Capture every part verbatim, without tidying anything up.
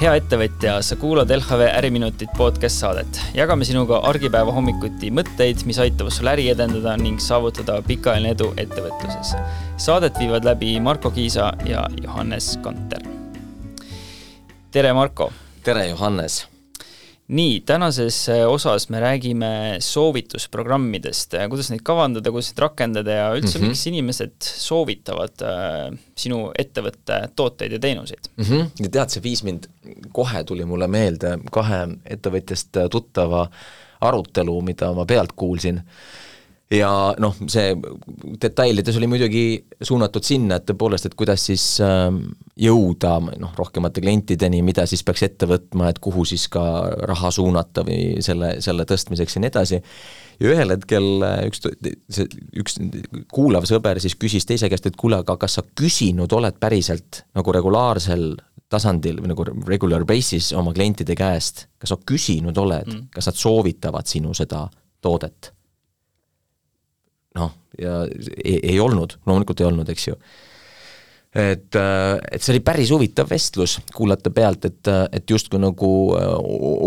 Hea ettevõtja, sa kuulad L H V Äriminutit podcast saadet. Jagame sinuga argipäeva hommikuti mõtteid, mis aitavad sul äri edendada ning saavutada pikaajaline edu ettevõtluses. Saadet viivad läbi Marko Kiisa ja Johannes Kanter. Tere, Marko! Tere, Johannes! Nii, tänases osas me räägime soovitusprogrammidest, kuidas neid kavandada, kuidas neid rakendada ja üldse mm-hmm. miks inimesed soovitavad äh, sinu ettevõtte tooteid ja teenuseid. Mm-hmm. Ja tead, see viis mind, kohe tuli mulle meelde kahe ettevõtjast tuttava arutelu, mida ma pealt kuulsin. Ja noh, see detailides oli muidugi suunatud sinna, et tõepoolest, et kuidas siis jõuda noh, rohkemate klientideni, mida siis peaks ette võtma, et kuhu siis ka raha suunata või selle, selle tõstmiseks ja nii edasi. Ja ühel hetkel üks, see, üks kuulav sõber siis küsis teise käest, et kuule, aga kas sa küsinud oled päriselt nagu regulaarsel tasandil või nagu regular basis oma klientide käest, kas sa küsinud oled, mm. kas nad soovitavad sinu seda toodet? Noh, ja ei, ei olnud, loomulikult ei olnud, eks ju. Et, et see oli päris huvitav vestlus kuulata pealt, et, et just kui nagu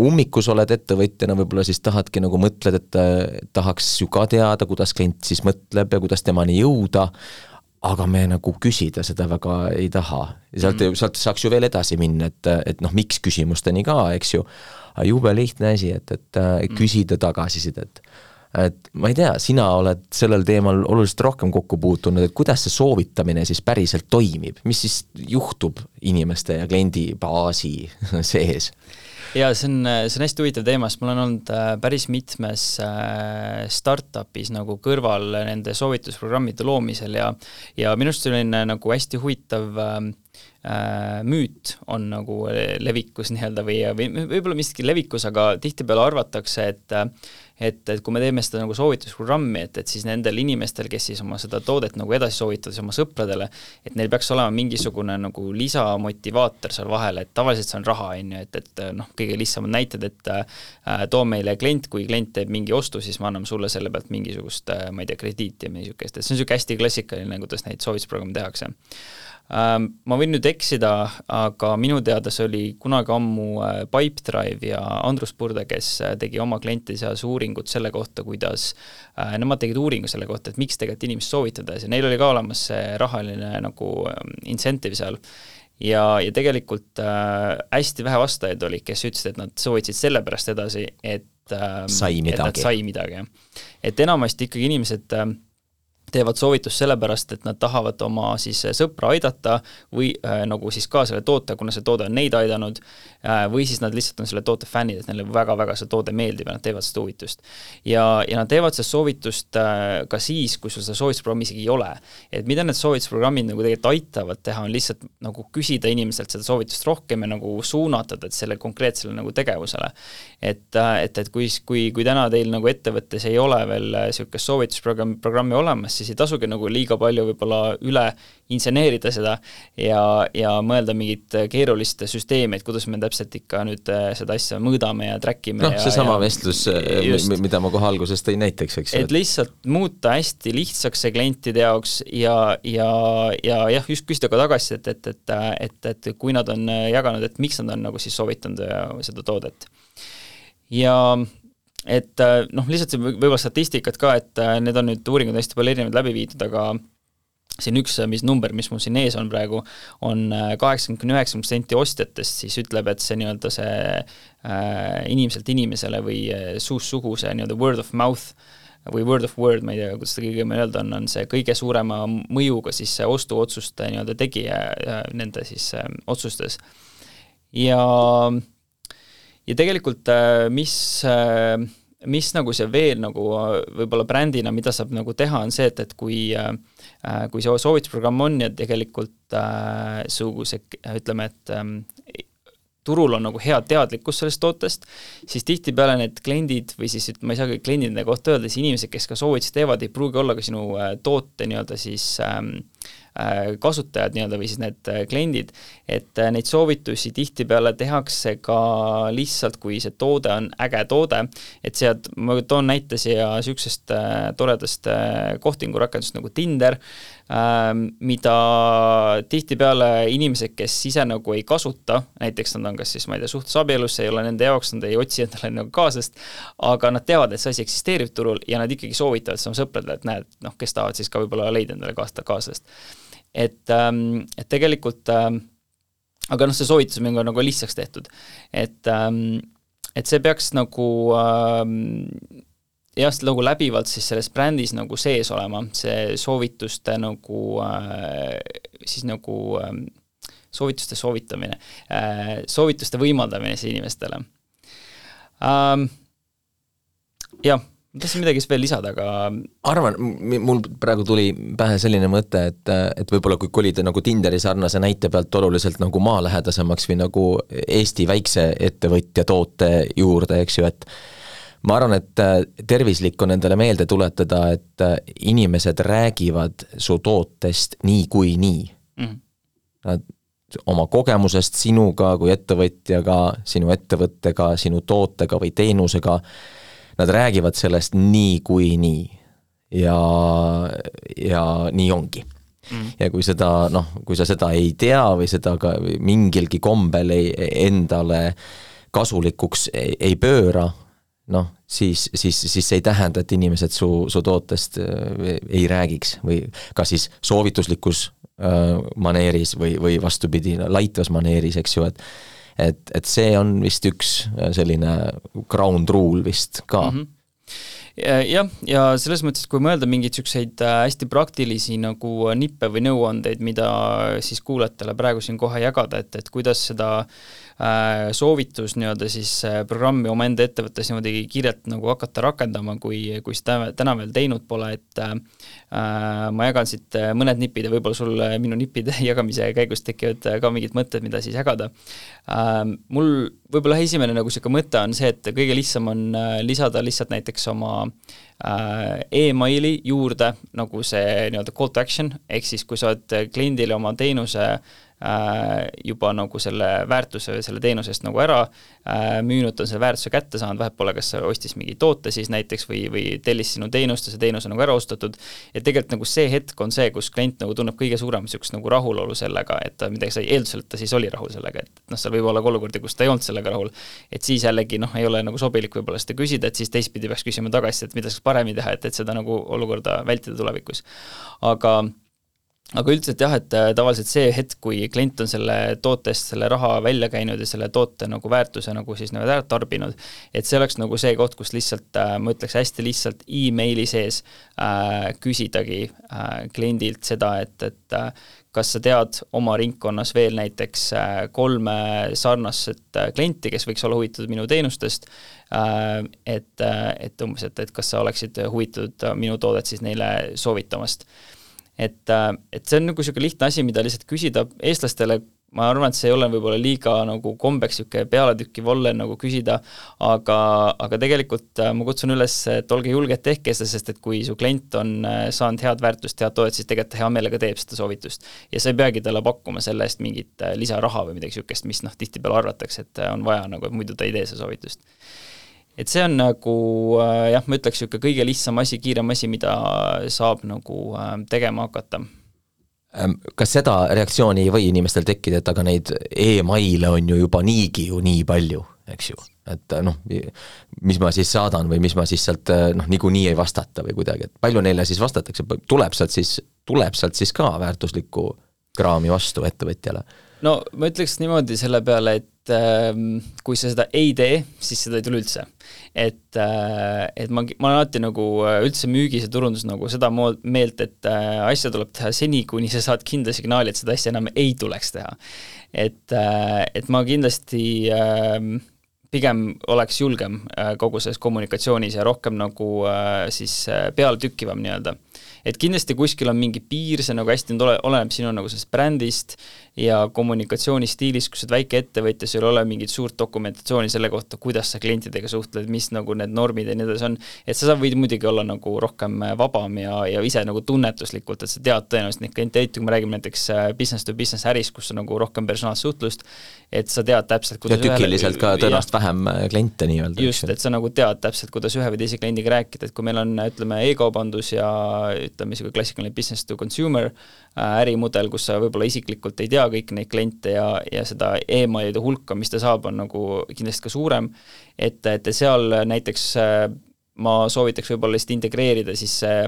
ummikus oled ettevõtjana, võib-olla siis tahadki nagu mõtled, et tahaks ju ka teada, kuidas klient siis mõtleb ja kuidas temani jõuda, aga me nagu küsida seda väga ei taha. Ja sealt, mm. sealt saaks ju veel edasi minna, et, et noh, miks küsimusteni ka, eks ju, aga jube lihtne asi, et, et mm. küsida tagasisidet. Et ma ei tea, sina oled sellel teemal oluliselt rohkem kokku puutunud, et kuidas see soovitamine siis päriselt toimib, mis siis juhtub inimeste ja kliendi baasi sees? Ja see on, see on hästi huvitav teema, sest mul on olnud päris mitmes startupis nagu kõrval nende soovitusprogrammide loomisel ja, ja minust selline nagu hästi huvitav müüt on nagu levikus nii-öelda või, või võib-olla miski levikus, aga tihtipeale arvatakse, et, et, et kui me teeme seda nagu soovitusprogrammi, et, et siis nendel inimestel, kes siis oma seda toodet nagu edasi soovitavad oma sõpradele, et neil peaks olema mingisugune nagu lisamotivaator seal vahel, et tavaliselt see on raha, et, et noh, kõige lihtsamad näited, et äh, too meile klient, kui klient teeb mingi ostu, siis me anname sulle selle pealt mingisugust, äh, ma ei tea, krediiti ja mingisugust, et see on niisugune hästi klassikaline, kuidas neid soovitusprogrammi tehakse. Ma võin nüüd eksida, aga minu teada see oli kunagi ammu Pipedrive ja Andrus Purde, kes tegi oma klientide seas uuringut selle kohta, kuidas nemad tegid uuringu selle kohta, et miks tegelikult inimest soovitada ja neil oli ka olemas see rahaline nagu incentive seal ja, ja tegelikult äh, hästi vähe vastajaid oli, kes ütlesid, et nad soovitasid selle pärast edasi, et, äh, sai et nad sai midagi. Et enamasti ikkagi inimesed äh, teevad soovitust sellepärast, et nad tahavad oma siis sõpra aidata või äh, nagu siis ka selle toote, kuna see toode on neid aidanud äh, või siis nad lihtsalt on selle toote fännid, et neile väga-väga see toode meeldib ja nad teevad seda soovitust. Ja, ja nad teevad seda soovitust äh, ka siis, kui sul seda soovitusprogrammi isegi ei ole. Et mida need soovitusprogrammid nagu tegelikult aitavad teha, on lihtsalt nagu küsida inimeselt seda soovitust rohkem ja nagu suunatada selle konkreetsele nagu tegevusele. Et, et, et kui, kui, kui täna teil nagu ettevõttes ei ole veel niisugust soovitusprogrammi programmi olemas, siis ei tasugi nagu liiga palju võib-olla üle inseneerida seda ja, ja mõelda mingit keerulist süsteemi, et kuidas me täpselt ikka nüüd seda asja mõõdame ja trackime. Noh, see sama ja, vestlus, just, mida ma kohe alguses tõin näiteks, eks. Et lihtsalt muuta hästi lihtsaks see klientide jaoks ja, ja, ja jah, just küsida ka tagasi, et, et, et, et, et kui nad on jaganud, et miks nad on nagu siis soovitanud seda toodet. Ja et noh, lihtsalt võib-olla statistikat ka, et need on nüüd uuringud hästi palju erinevad läbi viidud, aga siin üks mis number, mis mul siin ees on praegu, on kaheksakümmend üheksa protsenti ostjatest, siis ütleb, et see nii-öelda see äh, inimeselt inimesele või suust suhu see nii-öelda word of mouth või word of word, ma ei tea, kuidas seda kõige öelda on, on see kõige suurema mõjuga siis see ostuotsuste nii-öelda tegija nende siis äh, otsustes. Ja Ja tegelikult mis, mis nagu see veel nagu võib-olla brändina, mida saab nagu teha, on see, et, et kui, kui see soovitusprogramm on ja tegelikult äh, see, ütleme, et turul on nagu hea teadlikkus sellest tootest, siis tihtipeale need kliendid või siis, ma ei saa kõik kliendide kohta öelda, siis inimesed, kes ka soovitusi teevad, ei pruugi olla ka sinu toote nii-öelda siis ähm, kasutajad nii-öelda või siis need kliendid, et neid soovitusi tihtipeale tehakse ka lihtsalt, kui see toode on äge toode, et sealt, ma toon näite siia niisugusest toredast kohtingurakendust nagu Tinder, mida tihtipeale inimesed, kes ise nagu ei kasuta, näiteks nad on kas siis, ma ei tea, suhtes abielus, ei ole nende jaoks, nad ei otsi endale nagu kaaslast, aga nad teavad, et see asi eksisteerib turul ja nad ikkagi soovitavad sama sõpradele, et näed, noh, kes tahavad siis ka võib-olla leida endale kaaslast. Et, et tegelikult, aga noh, see soovitus on nagu lihtsaks tehtud, et, et see peaks nagu jah, nagu läbivalt siis selles brändis nagu sees olema, see soovituste nagu, siis nagu soovituste soovitamine, soovituste võimaldamine siis inimestele. Jah, tahtsin midagi veel lisada, aga arvan, mul praegu tuli pähe selline mõte, et, et võib-olla kui kolida nagu Tinderi sarnase näite pealt oluliselt nagu maalähedasemaks või nagu Eesti väikse ettevõtja toote juurde, eks ju, et ma arvan, et tervislik on endale meelde tuletada, et inimesed räägivad su tootest nii kui nii. Mm. Nad oma kogemusest sinuga kui ettevõtjaga, sinu ettevõttega, sinu tootega või teenusega, nad räägivad sellest nii kui nii. Ja, ja nii ongi. Mm. Ja kui seda, noh, kui sa seda ei tea või seda ka mingilgi kombel ei, endale kasulikuks ei, ei pööra, noh, siis, siis, siis see ei tähenda, et inimesed su, su tootest ei räägiks või ka siis soovituslikus äh, maneeris või, või vastupidi laitvas maneeris, eks ju, et, et, et see on vist üks selline ground rule vist ka. Mm-hmm. Jah, ja selles mõttes, kui mõelda mingeid selliseid hästi praktilisi nagu nippe või nõuandeid, mida siis kuulajatele praegu siin kohe jagada, et, et kuidas seda soovitus nii-öelda siis programmi oma enda ettevõttes niimoodi kiirelt nagu hakata rakendama, kui, kui seda täna veel teinud pole, et äh, ma jagan siit mõned nipid ja võib-olla sul minu nipide jagamise käigus tekivad ka mingid mõtted, mida siis jagada. Äh, mul võib-olla esimene nagu siuke mõte on see, et kõige lihtsam on lisada lihtsalt näiteks oma äh, e-maili juurde nagu see nii-öelda call to action, ehk siis kui sa oled kliendile oma teenuse juba nagu selle väärtuse või selle teenusest nagu ära müünud, on selle väärtuse kätte saanud, vahet pole, kas sa ostis mingi toote siis näiteks või, või tellis sinu teenust ja see teenus on nagu ära ostatud, et tegelikult nagu see hetk on see, kus klient nagu tunneb kõige suurem sükst nagu rahulolu sellega, et midagi sai eeldusel, et ta siis oli rahul sellega, et noh, seal võib olla olukordi, kus ta ei olnud sellega rahul, et siis jällegi noh, ei ole nagu sobilik võib-olla seda küsida, et siis teistpidi peaks küsima tagasi, et mida saaks paremini teha, et, et seda nagu olukorda vältida tulevikus. Aga Aga üldiselt jah, et tavaliselt see hetk, kui klient on selle tootest selle raha välja käinud ja selle toote nagu väärtuse nagu siis nagu ära tarbinud, et see oleks nagu see koht, kus lihtsalt, ma ütleks hästi lihtsalt e-maili sees äh, küsidagi äh, kliendilt seda, et, et äh, kas sa tead oma ringkonnas veel näiteks äh, kolme sarnast klienti, kes võiks olla huvitatud minu teenustest, äh, et, äh, et umbes, et, et kas sa oleksid huvitatud minu toodet siis neile soovitamast. Et, et see on nagu selline lihtne asi, mida lihtsalt küsida eestlastele, ma arvan, et see ei ole võib-olla liiga nagu kombeks selline pealetükki volle nagu küsida, aga, aga tegelikult ma kutsun üles, et olge julged tehke seda, sest et kui su klient on saanud head väärtust, head toodet, siis tegelikult hea meelega teeb seda soovitust. Ja sa ei peagi talle pakkuma selle eest mingit lisaraha või midagi sükest, mis noh, tihtipeale arvatakse, et on vaja nagu, et muidu ta ei tee see soovitust. Et see on nagu, jah, ma ütleks siuke kõige lihtsam asi, kiirem asi, mida saab nagu tegema hakata. Kas seda reaktsiooni ei või inimestel tekkida, et aga neid e-maile on ju juba niigi ju nii palju, eks ju? Et noh, mis ma siis saadan või mis ma siis sealt noh, niigu nii ei vastata või kuidagi, et palju neile siis vastatakse, tuleb sealt siis, tuleb sealt siis ka väärtuslikku kraami vastu ettevõtjale? No ma ütleks niimoodi selle peale, et kui sa seda ei tee, siis seda ei tule üldse. Et, et ma, ma olen alati nagu üldse müügis ja turundus nagu seda meelt, et asja tuleb teha seni, kuni sa saad kindla signaali, et seda asja enam ei tuleks teha. Et, et ma kindlasti pigem oleks julgem kogu selles kommunikatsioonis ja rohkem nagu siis peale tükkivam nii-öelda. Et kindlasti kuskil on mingi piir, see nagu hästi oleneb sinu nagu sellest brändist ja kommunikatsioonistiilis, kus väike ettevõtja, sul ei ole mingit suurt dokumentatsiooni selle kohta, kuidas sa klientidega suhtled, mis nagu need normid ja nii edasi on, et sa võid muidugi olla nagu rohkem vabam ja, ja ise nagu tunnetuslikult, et sa tead tõenäoliselt neid kliente, kui me räägime näiteks business to business äris, kus on nagu rohkem personaalsuhtlust, et sa tead täpselt, kuidas ja tükiliselt ka tõenäoliselt vähem kliente nii-öelda. Just, et sa nagu tead täpselt, kuidas ühe või teise kliendiga rääkida, et kui meil on, ütleme, e-kaubandus ja ütleme, see klassikaline business to consumer ärimudel, kus sa võib-olla isiklikult ei tea kõik neid kliente ja, ja seda emailide hulka, mis ta saab, on nagu kindlasti ka suurem, et, et seal näiteks ma soovitaks võib-olla lihtsalt integreerida siis see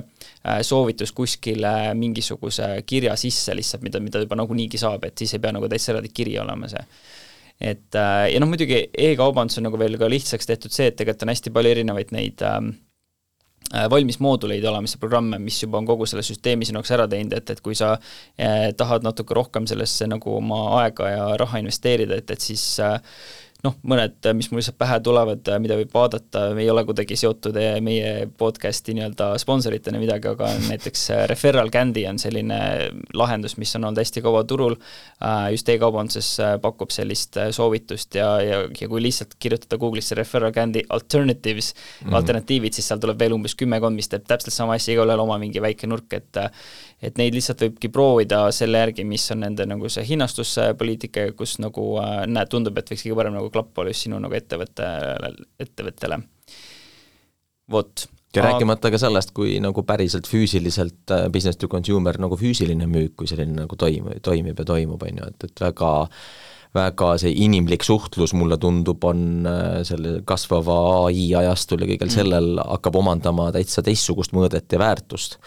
soovitus kuskile mingisuguse kirja sisse lihtsalt, mida, mida juba nagu niigi saab, et siis ei pea nagu täitsa eraldi kiri olema see. Et, ja noh, muidugi e-kaubandus on nagu veel ka lihtsaks tehtud see, et tegelikult on hästi palju erinevaid neid ähm, valmis mooduleid olemas ja programme, mis juba on kogu selle süsteemi sinuks ära teinud, et, et kui sa eh, tahad natuke rohkem sellesse nagu oma aega ja raha investeerida, et, et siis eh, noh, mõned, mis mul lihtsalt pähe tulevad, mida võib vaadata, me ei ole kuidagi seotud meie podcasti nii-öelda sponsoritena midagi, aga näiteks Referral Candy on selline lahendus, mis on olnud hästi kaua turul, just e-kaubanduses pakub sellist soovitust ja, ja, ja kui lihtsalt kirjutada Google'isse Referral Candy alternatives, mm-hmm. alternatiivid, siis seal tuleb veel umbes kümmekond, mis teeb täpselt sama asja, iga ühel oma mingi väike nurk, et et neid lihtsalt võibki proovida selle järgi, mis on nende nagu see hinnastuspoliitika, kus nagu näed, tundub, et võiks kõige parem nagu klapp olla just sinu nagu ettevõtte, ettevõttele. Vot. Ja rääkimata ka sellest, kui nagu päriselt füüsiliselt business to consumer nagu füüsiline müük, kui selline nagu toimib, toimib ja toimub, on ju, et, et väga väga see inimlik suhtlus mulle tundub, on selle kasvava A I ajastul ja kõigel sellel hakkab omandama täitsa teistsugust mõõdet ja väärtust.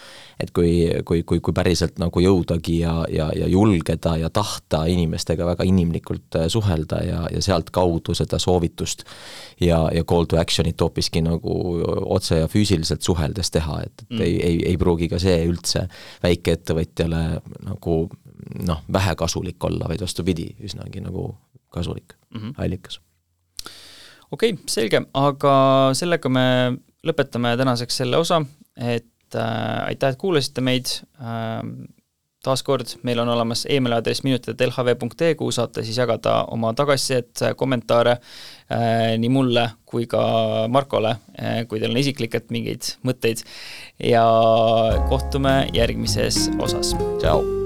Et kui, kui, kui, kui päriselt nagu jõudagi ja, ja, ja julgeda ja tahta inimestega väga inimlikult suhelda ja, ja sealt kaudu seda soovitust ja, ja call to action'it hoopiski nagu otse ja füüsiliselt suheldes teha, et, et mm. ei, ei, ei pruugi ka see üldse väikeettevõtjale nagu noh, vähe kasulik olla, vaid vastupidi, üsnagi nagu kasulik mm-hmm. allikas. Okei, okay, selge, aga sellega me lõpetame tänaseks selle osa, et äh, aitäh, et kuulasite meid. Äh, taaskord, meil on olemas email-aadress minutid at l h v punkt e, kuhu saate siis jagada oma tagasisidet, kommentaare äh, nii mulle kui ka Markole, äh, kui teil on isiklikult mingeid mõtteid ja kohtume järgmises osas. Tšau!